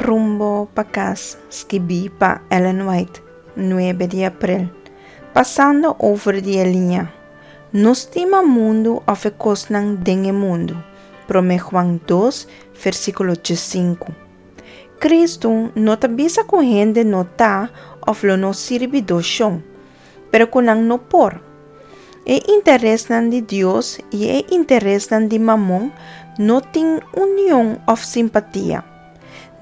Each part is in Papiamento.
Rumbo pa kas, skibí pa Ellen White, nuebe di aprel. Pasando over di e liña. No stima mundu òf e kosnan den e mundu. Promé Juan dos, versíkulo diesinku. Kristu no ta bisa ku hende no ta òf lo no sirbi dos shon, pero ku nan no por. E interesnan di Dios i e interesnan di Mamon no tin union òf simpatia.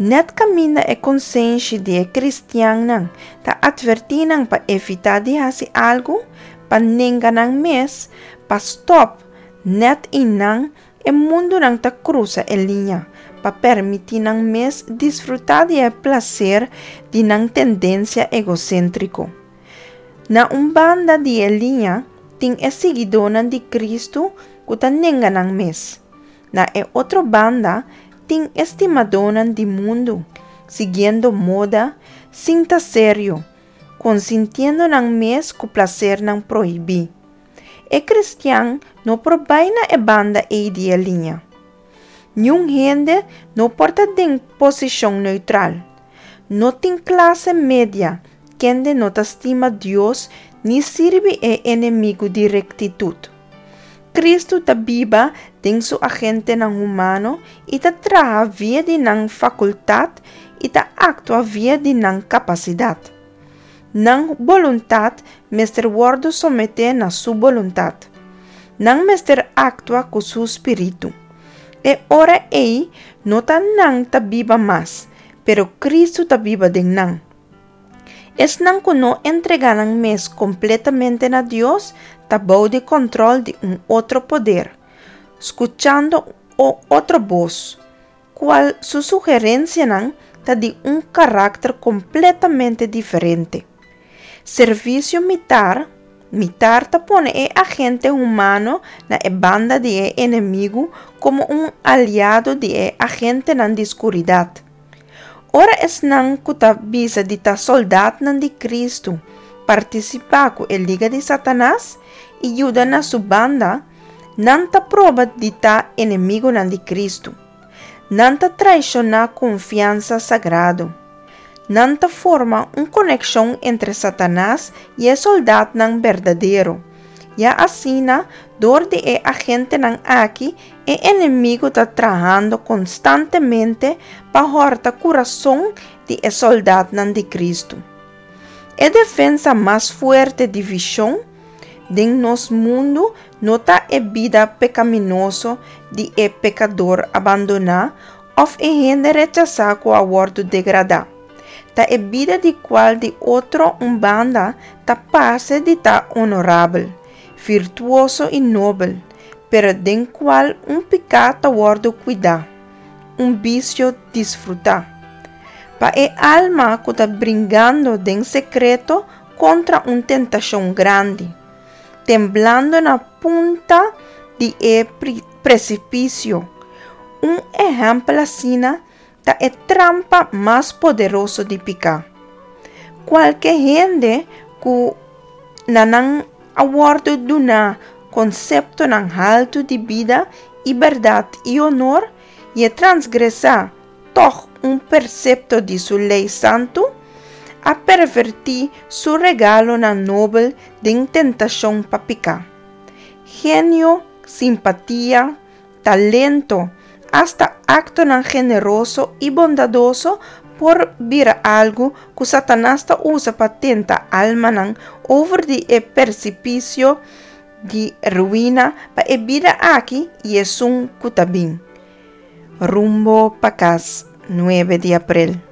Nèt kaminda e konsenshi di e kristiannan ta atvertí nan pa evitá di hasi algu, pa nenga nan mes, pa stòp, nèt i nan e mundunan ta krusa e liña pa permití nan mes disfrutá di e plaser di nan tendensia egoséntriko. Na un banda di e liña tin e siguidónan di Kristu ku ta nenga nan mes. Na e otro banda tin e stimadónan di mundu, siguiendo moda, sin ta serio, konsintiendo nan mes ku plasernan prohibí. E kristian no por bai na e banda ei di e liña. Niun hende no por ta den posishon neutral. No tin klase media kende no ta stima Dios ni sirbi e enemigu di rektitut. Kristu ta biba den su agentenan humano i ta traha via di nan fakultat i ta aktua via di nan kapasidat. Nan boluntat mester wòrdu someté na Su boluntat. Nan mester aktua ku Su spiritu. E ora ei no ta nan ta biba mas, pero Kristu ta biba den nan. Esnan ku no entregá nan mes kompletamente na Dios ta bou di kòntròl di un otro poder, skuchando o otro bos, kual su sugerensianan ta di un karakter kompletamente diferente. Servisio mitar Mitar ta pone e agente humano na e banda di e enemigu komo un aliado di e agentenan di skuridat. Ora esnan ku ta bisa di ta sòldatnan di Kristu partisipá ku e liga di Satanas i yuda na su banda, nan ta proba di ta enemigunan di Kristu. Nan ta traishoná konfiansa sagrado. Nan ta forma un konekshon entre Satanas i e sòldatnan berdadero. Ya asina, dor di e agentenan aki, e enemigu ta trahando konstantemente pa hòrta kurason di e sòldatnan di Kristu. E defensa mas fuerte di vishon den nos mundu no ta e bida pekaminoso di e pekador abandoná òf e hende rechasá ku a wòrdu degradá. Ta e bida di kual di otro un banda ta parse di ta onorabel, virtuoso i nobel, pero den kual un piká ta wòrdu kuidá, un bisio disfrutá. Pa e alma ku ta bringando den sekreto kontra un tentashon grandi, temblando na punta di e presipisio. Un ehèmpel asina ta e trampa mas poderoso di piká. Kualke hende ku na nan a wòrdu duná konseptonan haltu di bida i bèrdat i onor i e transgresá tòg un persepto di su lei santu, a pervertí su regalonan nobel den tentashon pa piká. Genio, simpatia, talento, asta aktonan generoso i bondadoso por bira algu ku Satanas ta usa pa tenta almanan over di e persipisio di ruina pa e bida aki i esun ku ta bin. Rumbo pa kas, nuebe di aprel.